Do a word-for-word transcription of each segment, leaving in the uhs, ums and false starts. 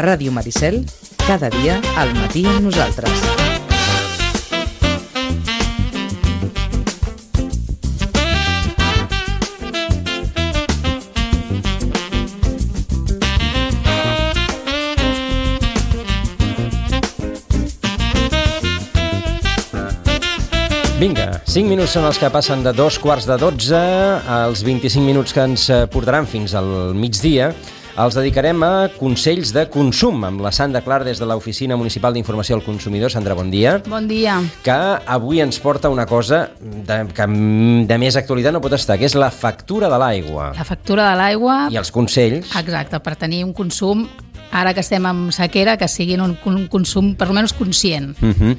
Ràdio Maricel, cada dia al matí amb nosaltres. Vinga, cinc minuts són els que passen de dos quarts de dotze, els vint-i-cinc minuts que ens portaran fins al migdia, els dedicarem a consells de consum amb la Sandra Clar des de l'Oficina Municipal d'Informació al Consumidor. Sandra, bon dia. Bon dia. Que avui ens porta una cosa de, que de més actualitat no pot estar, que és la factura de l'aigua. La factura de l'aigua... I els consells. Exacte, per tenir un consum, ara que estem en sequera, que sigui un, un consum per almenys conscient. Mhm.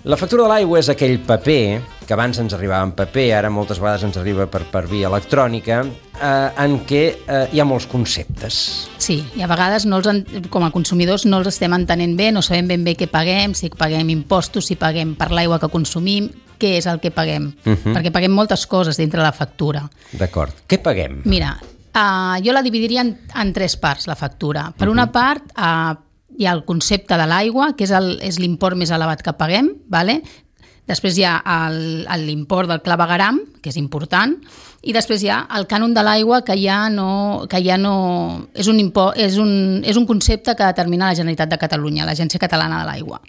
La factura de l'aigua és aquell paper, que abans ens arribava en paper, ara moltes vegades ens arriba per, per via electrònica, eh, en què eh, hi ha molts conceptes. Sí, i a vegades no els, com a consumidors no els estem entenent bé, no sabem ben bé què paguem, si paguem impostos, si paguem per l'aigua que consumim, què és el que paguem, uh-huh. perquè paguem moltes coses dintre la factura. D'acord. Què paguem? Mira, uh, jo la dividiria en, en tres parts, la factura. Per uh-huh. una part... Uh, hi ha el concepte de l'aigua, que és, el, és l'import més elevat que paguem, vale? Després hi ha el, l'import del clavegueram, que és important, i després hi ha el cànon de l'aigua, que ja no... Que ja no és, un import, és, un, és un concepte que determina la Generalitat de Catalunya, l'Agència Catalana de l'Aigua.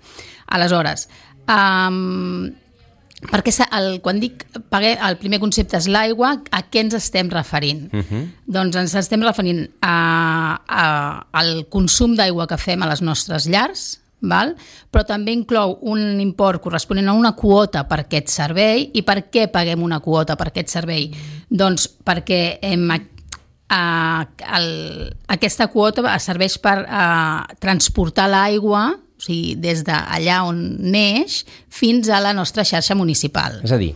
Aleshores, um, perquè el, quan dic paguer, el primer concepte és l'aigua, a què ens estem referint? Uh-huh. Doncs ens estem referint a, a, al consum d'aigua que fem a les nostres llars, val? Però també inclou un import corresponent a una quota per aquest servei. I per què paguem una quota per aquest servei? Doncs perquè hem, a, el, aquesta quota serveix per a, transportar l'aigua, o sigui, des d'allà on neix fins a la nostra xarxa municipal. És a dir,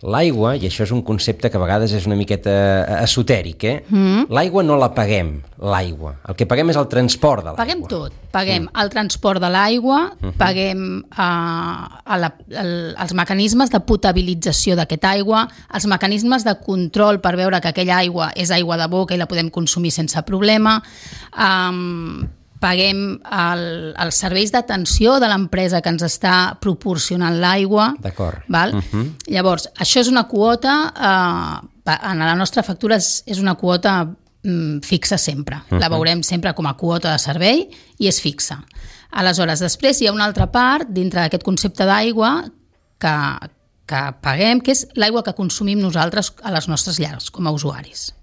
l'aigua, i això és un concepte que a vegades és una miqueta esotèric, eh? Mm. L'aigua no la paguem, l'aigua. El que paguem és el transport de l'aigua. Paguem tot. Paguem mm. el transport de l'aigua, mm-hmm. paguem uh, a la, el, els mecanismes de potabilització d'aquesta aigua, els mecanismes de control per veure que aquella aigua és aigua de boca i la podem consumir sense problema, um, paguem el, els serveis d'atenció de l'empresa que ens està proporcionant l'aigua. D'acord. Val? Uh-huh. Llavors, això és una quota, eh, en la nostra factura és, és una quota mm, fixa sempre. Uh-huh. La veurem sempre com a quota de servei i és fixa. Aleshores, després hi ha una altra part dintre d'aquest concepte d'aigua que, que paguem, que és l'aigua que consumim nosaltres a les nostres llars com a usuaris.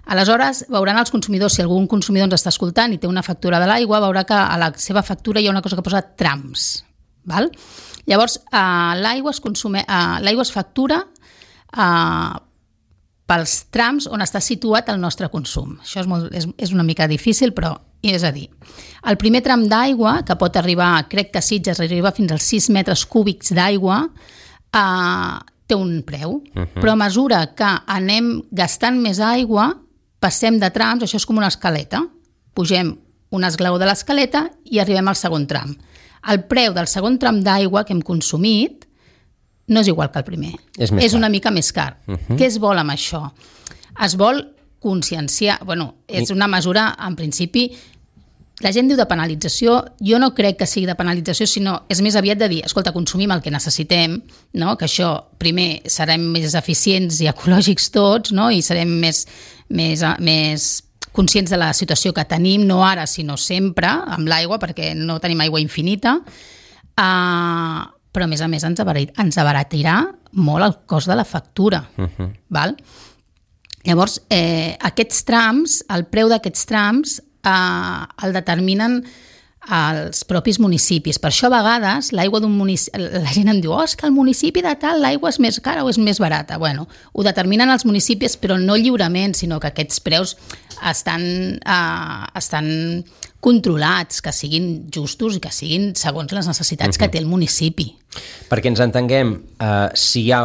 Aleshores, veuran els consumidors, si algun consumidor ens està escoltant i té una factura de l'aigua, veurà que a la seva factura hi ha una cosa que posa trams. Val? Llavors, eh, l'aigua, es consume, eh, l'aigua es factura eh, pels trams on està situat el nostre consum. Això és, molt, és, és una mica difícil, però és a dir, el primer tram d'aigua, que pot arribar, crec que a Sitges arriba fins als sis metres cúbics d'aigua, eh, té un preu, uh-huh. però a mesura que anem gastant més aigua, passem de trams, això és com una escaleta. Pugem un esglaó de l'escaleta i arribem al segon tram. El preu del segon tram d'aigua que hem consumit no és igual que el primer. És, més és car. una mica més car. Uh-huh. Què es vol amb això? Es vol conscienciar... Bueno, és una mesura, en principi... La gent diu de penalització, jo no crec que sigui de penalització, sinó és més aviat de dir, escolta, consumim el que necessitem, no? Que això, primer, serem més eficients i ecològics tots, no? I serem més, més, més conscients de la situació que tenim, no ara, sinó sempre, amb l'aigua, perquè no tenim aigua infinita, uh, però a més a més ens, abarat, ens abaratirà molt el cost de la factura. Uh-huh. Val? Llavors, eh, aquests trams, el preu d'aquests trams, Uh, el determinen els propis municipis. Per això a vegades l'aigua d'un municipi, la gent em diu, oh, és que el municipi de tal l'aigua és més cara o és més barata. Bueno, ho determinen els municipis, però no lliurement, sinó que aquests preus estan, uh, estan controlats, que siguin justos i que siguin segons les necessitats uh-huh. que té el municipi. Perquè ens entenguem, uh, si hi ha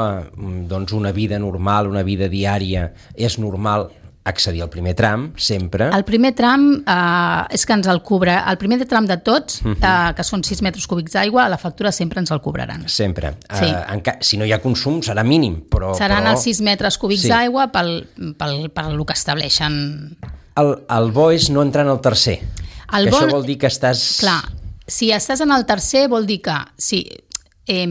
doncs, una vida normal, una vida diària, és normal accedir al primer tram, sempre. El primer tram eh, és que ens el cobra, el primer tram de tots, uh-huh. eh, que són sis metres cúbics d'aigua, a la factura sempre ens el cobraran. Sempre. Sí. Uh, en ca- si no hi ha consum serà mínim, però... Seran però... els sis metres cúbics sí. d'aigua pel, pel, pel que estableixen. El, el bo és no entrar en el tercer. El que bon... això vol dir que estàs... Clar, si estàs en el tercer vol dir que... Si, eh,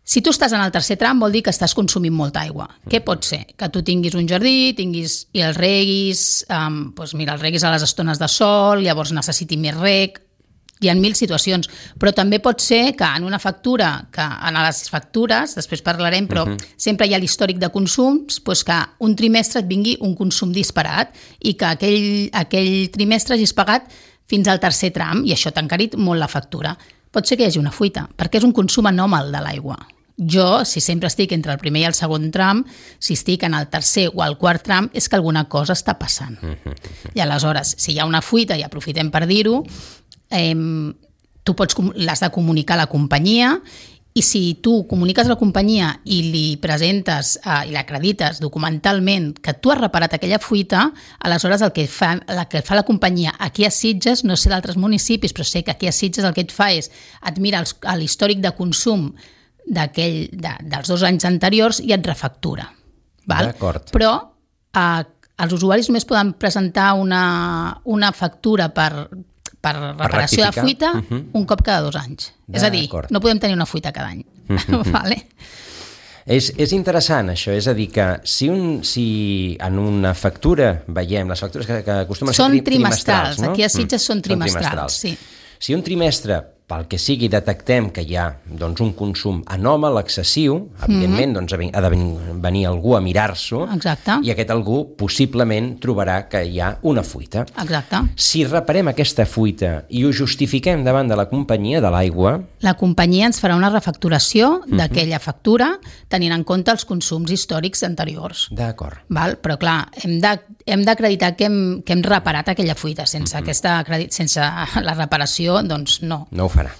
si tu estàs en el tercer tram vol dir que estàs consumint molta aigua. Mm. Què pot ser? Que tu tinguis un jardí, tinguis i el reguis, um, doncs mira, el reguis a les estones de sol, llavors necessiti més reg, hi ha mil situacions, però també pot ser que en una factura, que en les factures, després parlarem, però uh-huh. sempre hi ha l'històric de consums, doncs que un trimestre et vingui un consum disparat i que aquell, aquell trimestre hagis pagat fins al tercer tram i això t'ha encarit molt la factura. Pot ser que hi hagi una fuita, perquè és un consum anòmal de l'aigua. Jo, si sempre estic entre el primer i el segon tram, si estic en el tercer o el quart tram, és que alguna cosa està passant. Uh-huh. I aleshores, si hi ha una fuita, i aprofitem per dir-ho, eh, tu pots, l'has de comunicar a la companyia i si tu comuniques a la companyia i li presentes eh, i l'acredites documentalment que tu has reparat aquella fuita, aleshores el que fa, el que fa la companyia aquí a Sitges, no sé d'altres municipis, però sé que aquí a Sitges el que et fa és et mira els, l'històric de consum d'aquell, de, dels dos anys anteriors i et refactura. Val? D'acord. Però eh, els usuaris només poden presentar una, una factura per, per reparació per de fuita uh-huh. un cop cada dos anys. És a dir, no podem tenir una fuita cada any. Uh-huh. Vale? És, és interessant això, és a dir que si, un, si en una factura veiem, les factures que, que acostumen a ser tri, trimestrals, trimestrals, no? Aquí a Sitges mm. són trimestrals, són trimestrals. Sí. Si un trimestre, pel que sigui, detectem que hi ha doncs, un consum anòmal, excessiu, evidentment mm-hmm. doncs, ha de venir algú a mirar-s'ho. Exacte. I aquest algú possiblement trobarà que hi ha una fuita. Exacte. Si reparem aquesta fuita i ho justifiquem davant de la companyia de l'aigua... La companyia ens farà una refacturació mm-hmm. d'aquella factura tenint en compte els consums històrics anteriors. D'acord. Val? Però clar, hem de, hem d'acreditar que hem, que hem reparat aquella fuita. Sense, mm-hmm. aquesta, sense la reparació, doncs no. No ho farà.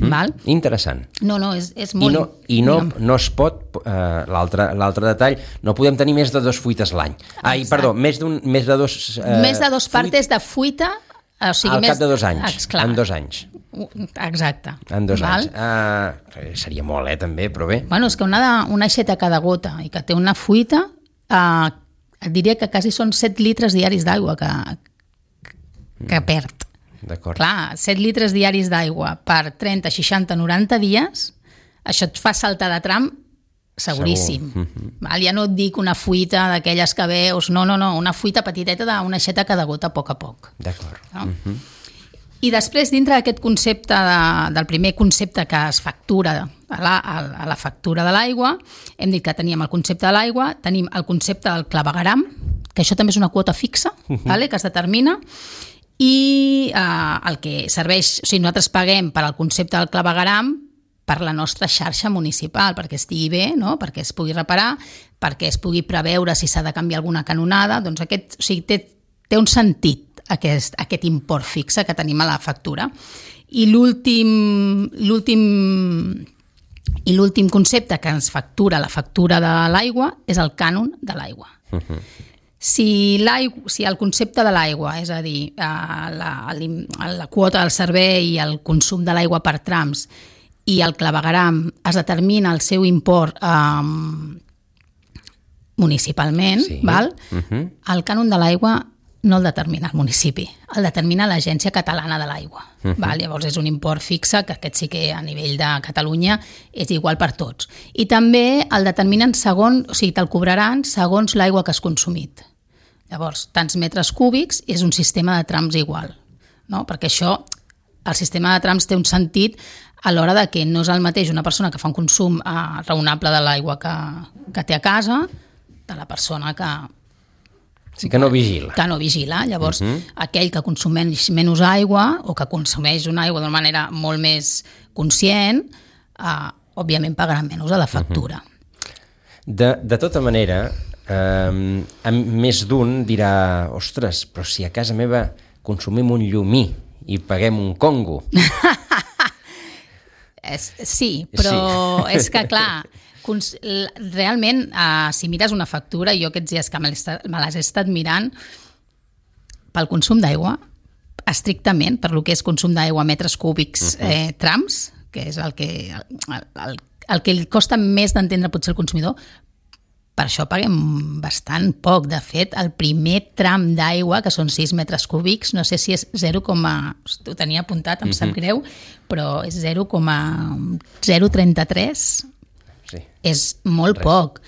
Val? Interessant. No, no, és, és molt... I no, i no, no es pot, eh, l'altre l'altre detall, no podem tenir més de dos fuites l'any. Ai, Exacte. perdó, més, d'un, més de dos... Eh, més de dos partes de fuita... O sigui, al més... cap de dos anys, Esclar. en dos anys. Exacte. En dos Val? anys. Uh, seria molt, eh, també, però bé. Bueno, és que una, una aixeta cada gota i que té una fuita, eh, et diria que quasi són set litres diaris d'aigua que, que perd. D'acord. Clar, set litres diaris d'aigua per trenta, seixanta, noranta dies, això et fa saltar de tram seguríssim. Segur. Mm-hmm. Val? Ja no et dic una fuita d'aquelles que veus, no, no, no, una fuita petiteta d'una aixeta cada gota a poc a poc. D'acord. No? Mm-hmm. I després, dintre d'aquest concepte, de, del primer concepte que es factura a la, a la factura de l'aigua, hem dit que teníem el concepte de l'aigua, tenim el concepte del clavegueram, que això també és una quota fixa, mm-hmm. vale? Que es determina, i eh, el que serveix, o sigui, nosaltres paguem per al concepte del clavegueram per la nostra xarxa municipal, perquè estigui bé, no? Perquè es pugui reparar, perquè es pugui preveure si s'ha de canviar alguna canonada, doncs aquest, o sigui, té, té un sentit aquest, aquest import fixe que tenim a la factura. I l'últim, l'últim, i l'últim concepte que ens factura la factura de l'aigua és el cànon de l'aigua. Uh-huh. Si, si el concepte de l'aigua, és a dir, la, la quota del servei i el consum de l'aigua per trams i el clavegueram es determina el seu import eh, municipalment, sí. val? Uh-huh. El cànon de l'aigua no el determina el municipi, el determina l'Agència Catalana de l'Aigua. Uh-huh. Val? Llavors és un import fixe, que aquest sí que a nivell de Catalunya és igual per tots. I també el determinen segons, o sigui, te'l cobraran segons l'aigua que has consumit. Llavors, tants metres cúbics és un sistema de trams igual, no? Perquè això, el sistema de trams té un sentit a l'hora de que no és el mateix una persona que fa un consum eh, raonable de l'aigua que, que té a casa de la persona que... Sí, que no vigila. Que no vigila. Llavors, uh-huh. aquell que consumeix menys aigua o que consumeix una aigua d'una manera molt més conscient, eh, òbviament pagarà menys a la factura. Uh-huh. De, de tota manera, eh, més d'un dirà, ostres, però si a casa meva consumim un llumí i paguem un congo. Sí, però sí. És que, clar, realment, uh, si mires una factura, jo aquests dies que me les he estat mirant, pel consum d'aigua, estrictament, per lo que és consum d'aigua, metres cúbics, uh-huh. eh, trams, que és el que, el, el, el que li costa més d'entendre potser el consumidor, per això paguem bastant poc. De fet, el primer tram d'aigua, que són sis metres cúbics, no sé si és zero, ho tenia apuntat, em sap greu, però és zero coma zero trenta tres. Sí. És molt Res. poc.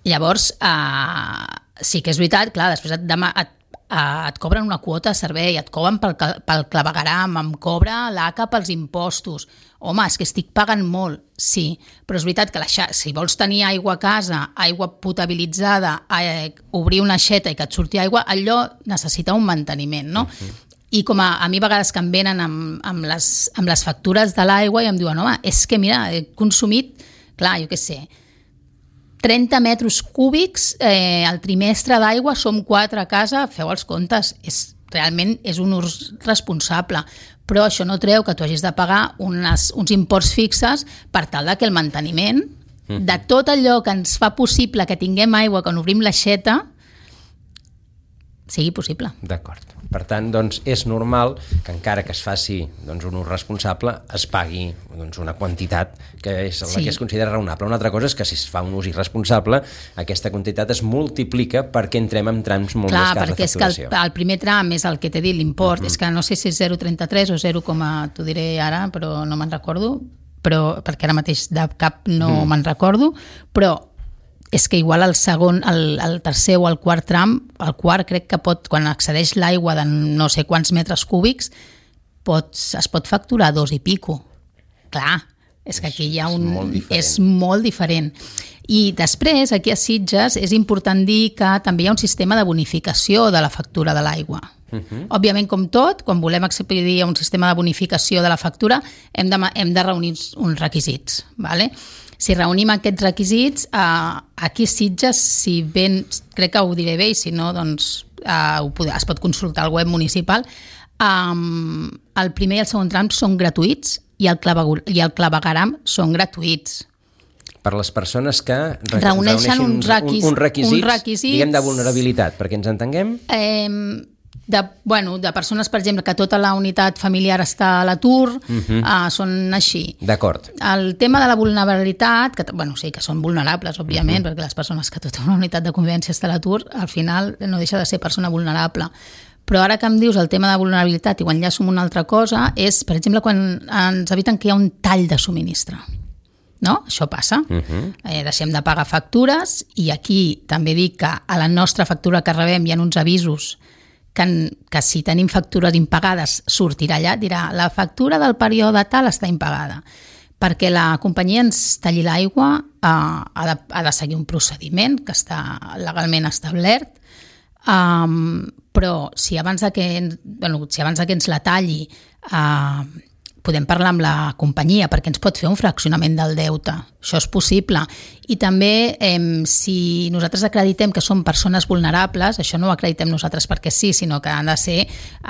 Llavors, eh, sí que és veritat, clar, després et, demà, et, eh, et cobren una quota de servei, et cobren pel, pel clavegueram, em cobra l'A C A pels impostos. Home, és que estic pagant molt, sí, però és veritat que la, si vols tenir aigua a casa, aigua potabilitzada, eh, obrir una aixeta i que et surti aigua, allò necessita un manteniment, no? Uh-huh. I com a, a mi a vegades que em venen amb, amb, les, amb les factures de l'aigua i em diuen, home, és que mira, he consumit, clar, jo què sé, trenta metres cúbics eh, al trimestre d'aigua, som quatre a casa, feu els comptes, és, realment és un ús responsable, però això no treu que tu hagis de pagar unes, uns imports fixes per tal de que el manteniment mm. de tot allò que ens fa possible que tinguem aigua quan obrim l'aixeta sigui possible. D'acord. Per tant, doncs, és normal que encara que es faci doncs, un ús responsable es pagui doncs, una quantitat que és la sí. que es considera raonable. Una altra cosa és que si es fa un ús irresponsable, aquesta quantitat es multiplica perquè entrem en trams molt Clar, més cars de facturació. Clar, perquè és que el, el primer tram és el que t'he dit, l'import, uh-huh. és que no sé si és zero coma trenta tres o zero, t'ho diré ara, però no me'n recordo, però, perquè ara mateix de cap no uh-huh. me'n recordo, però és que igual el segon, el, el tercer o el quart tram, el quart crec que pot, quan accedeix l'aigua de no sé quants metres cúbics, pots, es pot facturar dos i pico. Clar, és que aquí hi ha un... És molt diferent. És molt diferent. I després, aquí a Sitges, és important dir que també hi ha un sistema de bonificació de la factura de l'aigua. Uh-huh. Òbviament, com tot, quan volem accedir a un sistema de bonificació de la factura, hem de, hem de reunir uns requisits, ¿vale? Si reunim aquests requisits, eh, aquí a Sitges, si ben, crec que ho diré bé, i si no, doncs eh, ho pod- es pot consultar al web municipal, um, el primer i el segon tram són gratuïts i el, clavegur- i el clavegueram són gratuïts. Per les persones que re- Reuneixen reuneixin uns requis- un, uns requisits, uns requisits, diguem, de vulnerabilitat, perquè ens entenguem? Eh, de, bueno, de persones, per exemple, que tota la unitat familiar està a l'atur, uh-huh. eh, són així. D'acord. El tema de la vulnerabilitat, que bueno, sí que són vulnerables, òbviament, uh-huh. perquè les persones que tota una unitat de convivència està a l'atur, al final no deixa de ser persona vulnerable. Però ara que em dius el tema de vulnerabilitat i ho enllaço amb una altra cosa, és, per exemple, quan ens eviten que hi ha un tall de subministre. No? Això passa. Uh-huh. Eh, deixem de pagar factures i aquí també dic que a la nostra factura que rebem hi ha uns avisos que, que si tenim factures impagades sortirà allà, dirà la factura del període tal està impagada. Perquè la companyia ens talli l'aigua eh, ha, de, ha de seguir un procediment que està legalment establert, um, però si abans de que, bueno, si abans de que ens la talli uh, podem parlar amb la companyia perquè ens pot fer un fraccionament del deute. Això és possible. I també, eh, si nosaltres acreditem que som persones vulnerables, això no ho acreditem nosaltres perquè sí, sinó que han de ser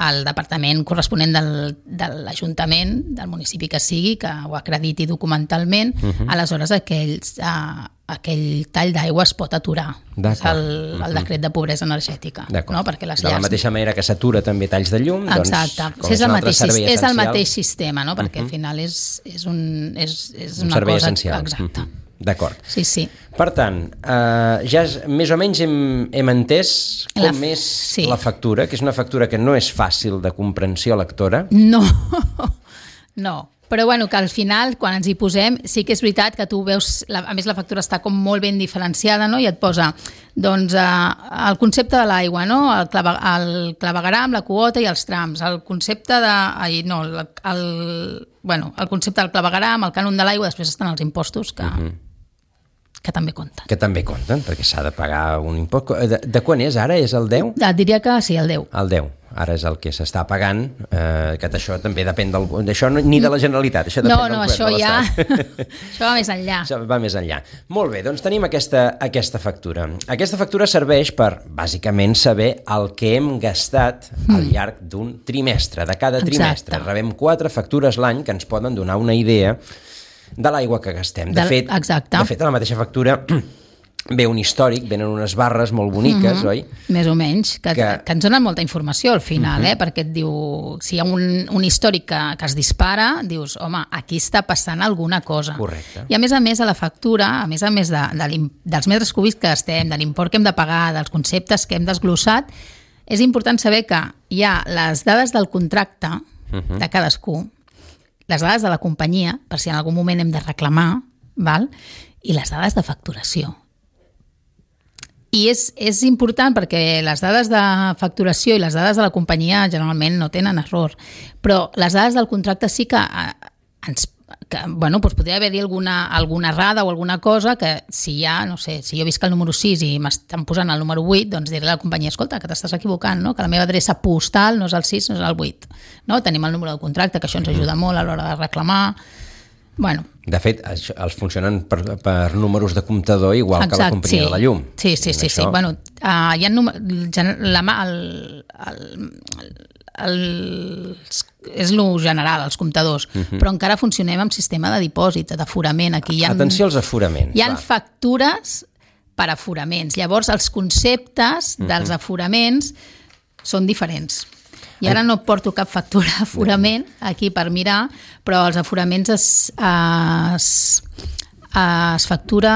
el departament corresponent del, de l'Ajuntament, del municipi que sigui, que ho acrediti documentalment, uh-huh. aleshores aquells, eh, aquell tall d'aigua es pot aturar. És el, el decret de pobresa energètica. No? Perquè les de la llars... mateixa manera que s'atura també talls de llum, Exacte. doncs, com és, és, el un mateix, servei és essencial... el mateix sistema, no? Perquè uh-huh. al final és, és, un, és, és un una servei cosa... essencial. Exacte. Uh-huh. D'acord. Sí, sí. Per tant, eh, ja és, més o menys hem, hem entès com la, és sí. la factura, que és una factura que no és fàcil de comprensió lectora. No, no. Però bueno, que al final, quan ens hi posem, sí que és veritat que tu veus, la, a més la factura està com molt ben diferenciada, no? I et posa doncs, eh, el concepte de l'aigua, no? El, clave, el clavegueram, la quota i els trams, el concepte de... Ai, no, el, el, bueno, el concepte del clavegueram, el cànon de l'aigua, després estan els impostos que... Uh-huh. que també compten. Que també compten, perquè s'ha de pagar un impost. De, de quan és ara? És el deu? Et diria que sí, el deu. El deu. Ara és el que s'està pagant, eh, que això també depèn del... D'això no, ni de la Generalitat, això depèn no, del no, govern això de l'Estat. Ja... això va més enllà. Això va més enllà. Molt bé, doncs tenim aquesta, aquesta factura. Aquesta factura serveix per, bàsicament, saber el que hem gastat mm. al llarg d'un trimestre, de cada trimestre. Exacte. Rebem quatre factures l'any que ens poden donar una idea de l'aigua que gastem. De, de, fet, exacte. de fet, a la mateixa factura ve un històric, venen unes barres molt boniques, mm-hmm. oi? Més o menys, que, que... que ens donen molta informació al final, mm-hmm. eh? Perquè et diu, si hi ha un, un històric que, que es dispara, dius, home, aquí està passant alguna cosa. Correcte. I a més a més, a la factura, a més a més de, de dels metres cúbics que estem, de l'import que hem de pagar, dels conceptes que hem desglossat, és important saber que hi ha les dades del contracte mm-hmm. de cadascú, les dades de la companyia, per si en algun moment hem de reclamar, val? I les dades de facturació. I és, és important perquè les dades de facturació i les dades de la companyia generalment no tenen error, però les dades del contracte sí que ens que, bueno, doncs podria haver-hi alguna, alguna errada o alguna cosa que si hi ha, no sé, si jo visc el número sis i m'estan posant el número vuit, doncs diré a la companyia, escolta, que t'estàs equivocant, no? Que la meva adreça postal no és el sis, no és el vuit. No? Tenim el número del contracte, que això ens ajuda molt a l'hora de reclamar. Bueno. De fet, els funcionen per, per números de comptador igual Exacte, que la companyia sí. de la llum. Sí, sí, sí. sí. Bueno, uh, hi ha número, la, el, el, el, és lo general, els comptadors, uh-huh. però encara funcionem amb sistema de dipòsit, d'aforament. Aquí hi ha, Atenció als aforaments. Hi ha factures per aforaments. Llavors, els conceptes uh-huh. dels aforaments són diferents. I ara no porto cap factura d'aforament aquí per mirar, però els aforaments es, es, es factura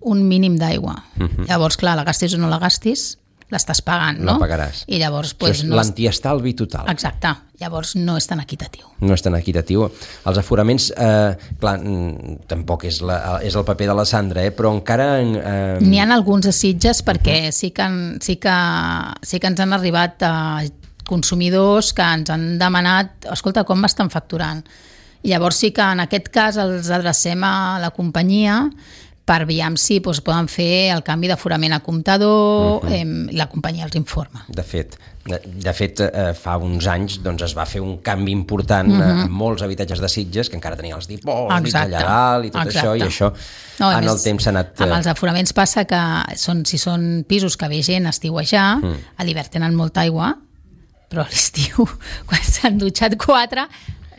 un mínim d'aigua. Uh-huh. Llavors, clar, la gastis o no la gastis, l'estàs pagant, no? La pagaràs. I llavors, pues, no l'antiestalvi total. Exacte. Llavors no és tan equitatiu. No és tan equitatiu. Els aforaments, eh, clar, tampoc és, la, és el paper de la Sandra, eh, però encara... Eh... N'hi ha alguns a Sitges perquè uh-huh. sí, que, sí, que, sí que ens han arribat a consumidors que ens han demanat, escolta, com m'estan facturant? I llavors sí que en aquest cas els adrecem a la companyia per veure si doncs, poden fer el canvi d'aforament a comptador, uh-huh. eh, la companyia els informa. De fet, de, de fet eh, fa uns anys doncs, es va fer un canvi important uh-huh. en molts habitatges de Sitges que encara tenien els dipòsits allà dalt i tot Exacte. Això, i això no, en més, el temps s'ha anat... Amb els aforaments passa que són, si són pisos que ve gent a estiuejar, uh-huh. a l'hivern tenen molta aigua, però a l'estiu, quan s'han dutxat quatre,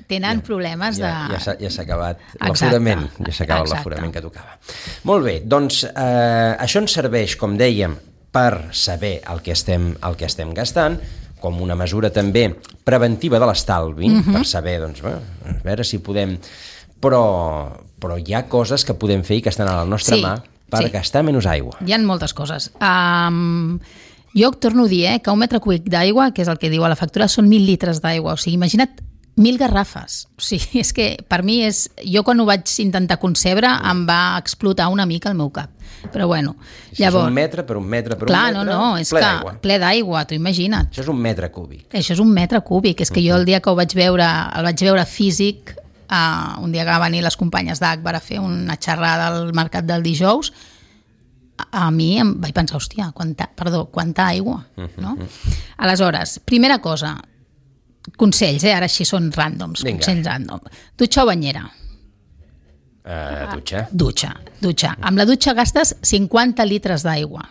tenen ja, problemes de... Ja, ja, s'ha, ja s'ha acabat l'aforament, ja s'ha acabat l'aforament que tocava. Molt bé, doncs eh, això ens serveix, com dèiem, per saber el que estem, el que estem gastant, com una mesura també preventiva de l'estalvi, uh-huh. per saber, doncs, bé, a veure si podem... Però, però hi ha coses que podem fer i que estan a la nostra sí, mà per sí. gastar menys aigua. Hi ha moltes coses. Um... Jo torno a dir eh, que un metre cúbic d'aigua, que és el que diu a la factura, són mil litres d'aigua. O sigui, imagina't mil garrafes. O sigui, és que per mi és... Jo quan ho vaig intentar concebre em va explotar una mica el meu cap. Però bueno, si llavors... És un metre per un metre per clar, un metre, no, no, és ple que, d'aigua. Ple d'aigua, t'ho imagina't. Això és un metre cúbic. Això és un metre cúbic. És que uh-huh. jo el dia que ho vaig veure, el vaig veure físic, uh, un dia que van venir les companyes d'Agbar a fer una xerrada al mercat del dijous, a mi em vaig pensar, hòstia, quanta, perdó, quanta aigua, no? Aleshores, primera cosa, consells, eh? Ara així són ràndoms, Vinga. Consells ràndom. Dutxa o banyera? Uh, dutxa. Dutxa, dutxa. Amb la dutxa gastes cinquanta litres d'aigua.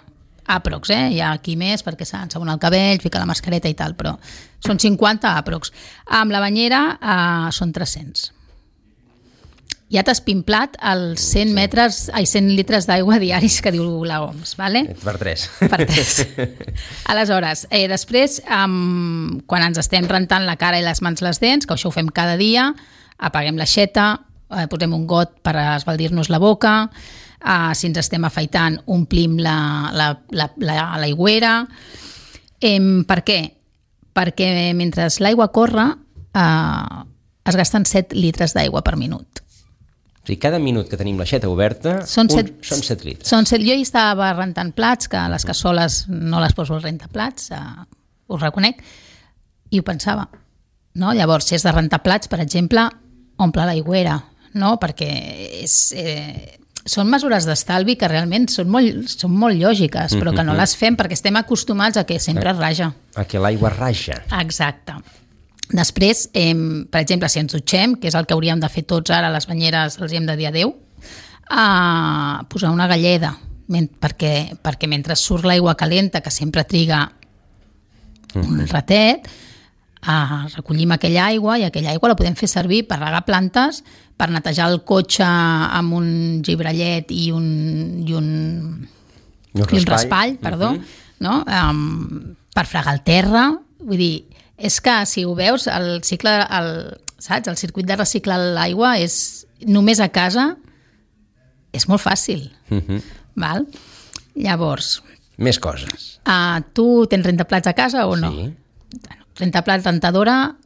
Aprox, eh? Hi ha aquí més perquè s'ensabona el cabell, fica la mascareta i tal, però són cinquanta aprox. Amb la banyera uh, són tres-cents. Ja t'has pimplat els cent metres, ai, cent litres d'aigua diaris que diu l'O M S, vale? Per tres. Per tres. Aleshores, eh, després, um, quan ens estem rentant la cara i les mans les dents, que això ho fem cada dia, apaguem l'aixeta, eh, posem un got per esbaldir-nos la boca, eh, si ens estem afaitant, omplim la, la, la, la, l'aigüera. Eh, per què? Perquè mentre l'aigua corre, eh, es gasten set litres d'aigua per minut. O sigui, cada minut que tenim l'aixeta oberta són set, un, són set litres. Són set, jo hi estava rentant plats, que les cassoles no les poso al rentaplats, eh, ho reconec, i ho pensava. No? Llavors, si és de rentar plats, per exemple, omple l'aigüera, no? Perquè és, eh, són mesures d'estalvi que realment són molt, són molt lògiques, però que no les fem perquè estem acostumats a que sempre raja. A que l'aigua raja. Exacte. Després, eh, per exemple, si ens dutxem, que és el que hauríem de fer tots ara, a les banyeres els hi hem de dir adeu, eh, posar una galleda, men- perquè, perquè mentre surt l'aigua calenta, que sempre triga un ratet, eh, recollim aquella aigua i aquella aigua la podem fer servir per regar plantes, per netejar el cotxe amb un gibrallet i un, i un, i un raspall, perdó, uh-huh. no? um, per fregar el terra. Vull dir, és que si ho veus, el cicle, el, saps? El circuit de reciclar l'aigua és només a casa, és molt fàcil. Uh-huh. Val? Llavors... Més coses. Uh, tu tens rentaplats a casa o no? Sí. Rentaplats, rentadora,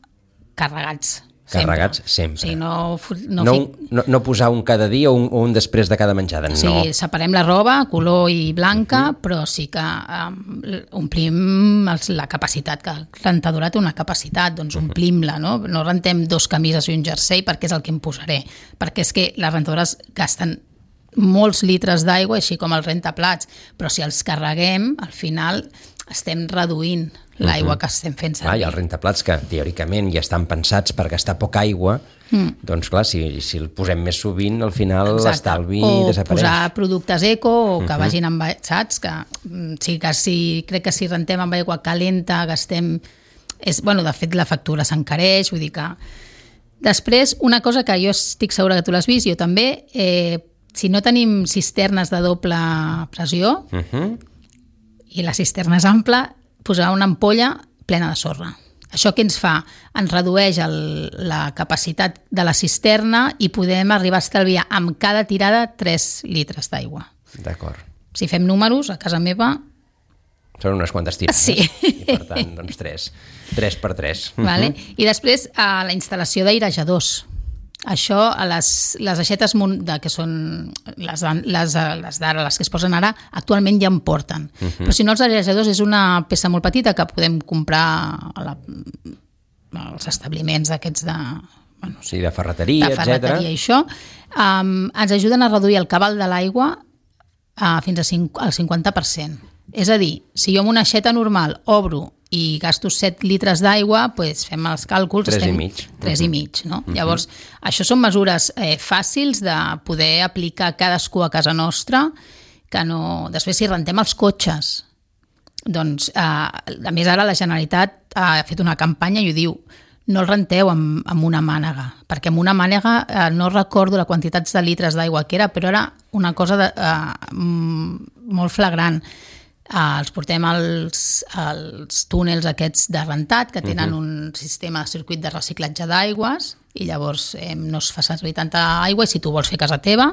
carregats. Carregats sempre. O sigui, no, no, no, fic... no, no posar un cada dia o un, o un després de cada menjada, no. O sigui, separem la roba, color i blanca, uh-huh. però sí que um, omplim els, la capacitat, que la rentadora té una capacitat, doncs uh-huh. omplim-la, no? No rentem dos camises i un jersei perquè és el que em posaré, perquè és que les rentadores gasten molts litres d'aigua, així com els rentaplats, però si els carreguem, al final estem reduint l'aigua uh-huh. que estem fent servir. Ah, i els rentaplats, que teòricament ja estan pensats per gastar poca aigua, mm. doncs clar, si, si el posem més sovint, al final l'estalvi desapareix. O posar productes eco, o que uh-huh. vagin amb... Saps? Que, sí, que si, crec que si rentem amb aigua calenta, gastem... És, bueno, de fet, la factura s'encareix, vull dir que... Després, una cosa que jo estic segura que tu l'has vist, jo també, eh, si no tenim cisternes de doble pressió, uh-huh. i la cisterna és ampla, posar una ampolla plena de sorra. Això què ens fa? Ens redueix el, la capacitat de la cisterna i podem arribar a estalviar amb cada tirada tres litres d'aigua. D'acord. Si fem números, a casa meva... Són unes quantes tirades. Sí. I per tant, doncs tres. Tres per tres. Vale. Uh-huh. I després, a la instal·lació d'airejadors. Això, a les, les aixetes de, que són les, les, les d'ara, les que es posen ara, actualment ja en porten. Uh-huh. Però si no, els airejadors és una peça molt petita que podem comprar a la, als establiments d'aquests de... Bueno, sí, de ferreteria, de ferreteria etcètera. I això. Um, ens ajuden a reduir el cabal de l'aigua uh, fins a cinc, al cinquanta per cent. És a dir, si jo amb una aixeta normal obro i gasto set litres d'aigua, doncs fem els càlculs... Tres estem, i mig. Tres uh-huh. i mig, no? Uh-huh. Llavors, això són mesures eh, fàcils de poder aplicar cadascú a casa nostra, que no... Després, si rentem els cotxes, doncs, eh, a més ara la Generalitat ha fet una campanya i ho diu, no el renteu amb, amb una mànega, perquè amb una mànega eh, no recordo la quantitat de litres d'aigua que era, però era una cosa de, eh, molt flagrant. Uh, els portem als, als túnels aquests de rentat que tenen uh-huh. un sistema de circuit de reciclatge d'aigües i llavors eh, no es fa servir tanta aigua i si tu vols fer a casa teva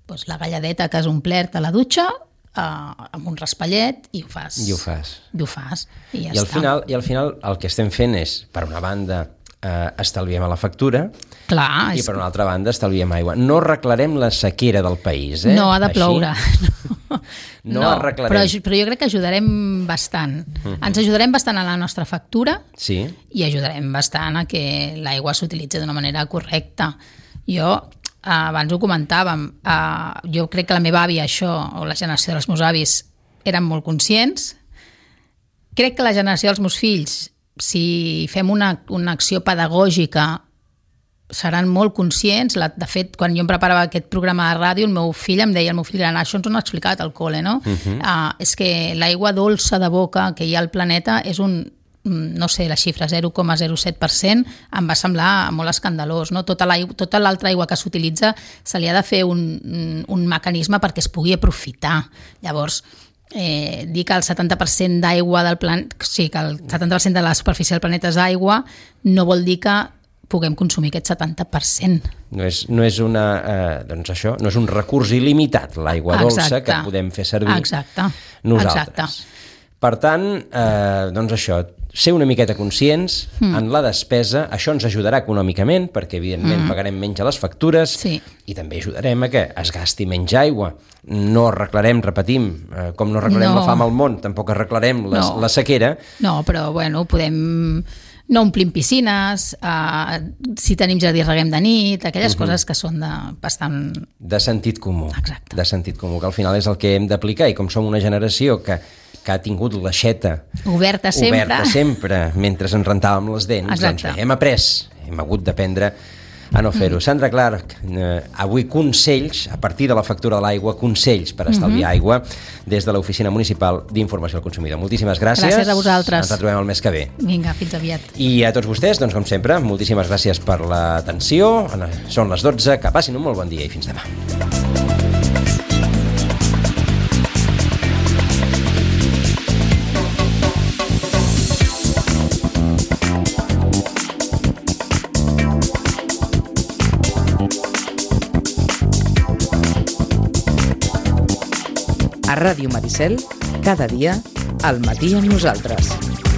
doncs la galladeta que has omplert a la dutxa uh, amb un raspallet i ho fas. I ho fas. I ho fas. I ja I al, està. final, I al final el que estem fent és, per una banda, eh, estalviem a la factura. Clar, i és... per una altra banda estalviem aigua. No arreglarem la sequera del país, eh? No, ha de Així? ploure. No, no, no arreglarem. Però, però jo crec que ajudarem bastant. Uh-huh. Ens ajudarem bastant a la nostra factura sí. i ajudarem bastant a que l'aigua s'utilitzi d'una manera correcta. Jo, eh, abans ho comentàvem, eh, jo crec que la meva àvia, això, o la generació dels meus avis, eren molt conscients. Crec que la generació dels meus fills, si fem una, una acció pedagògica, seran molt conscients. De fet, quan jo em preparava aquest programa de ràdio, el meu fill em deia, el meu fill gran, això ens ho han explicat al col·le, no? Uh-huh. Uh, és que l'aigua dolça de boca que hi ha al planeta és un, no sé, la xifra zero coma zero set per cent, em va semblar molt escandalós, no? Tota l'altra aigua que s'utilitza se li ha de fer un, un mecanisme perquè es pugui aprofitar. Llavors, eh, dir que el setanta per cent d'aigua del planeta, sí, que el setanta per cent de la superfície del planeta és aigua, no vol dir que puguem consumir aquest setanta per cent. No és, no és, una, eh, doncs això, no és un recurs il·limitat, l'aigua dolça, que podem fer servir Exacte. nosaltres. Exacte. Per tant, eh, doncs això, ser una miqueta conscients mm. en la despesa, això ens ajudarà econòmicament, perquè evidentment mm. pagarem menys a les factures sí. i també ajudarem a que es gasti menys aigua. No arreglarem, repetim, eh, com no arreglarem no. la fam al món, tampoc arreglarem les, no. la sequera. No, però bueno, podem... No omplim piscines, uh, si tenim jardí reguem de nit, aquelles uh-huh. coses que són de bastant... De sentit comú. Exacte. De sentit comú, que al final és el que hem d'aplicar, i com som una generació que, que ha tingut l'aixeta oberta sempre, oberta sempre mentre ens rentàvem les dents, Exacte. doncs bé, hem après, hem hagut d'aprendre a no fer-ho. Mm. Sandra Clark, eh, avui consells, a partir de la factura de l'aigua, consells per estalviar mm-hmm. aigua des de l'Oficina Municipal d'Informació al Consumidor. Moltíssimes gràcies. Gràcies a vosaltres. Ens retrobem el mes que ve. Vinga, fins aviat. I a tots vostès, doncs com sempre, moltíssimes gràcies per l'atenció. Són les dotze, que passin un molt bon dia i fins demà. Ràdio Maricel, cada dia al matí amb nosaltres.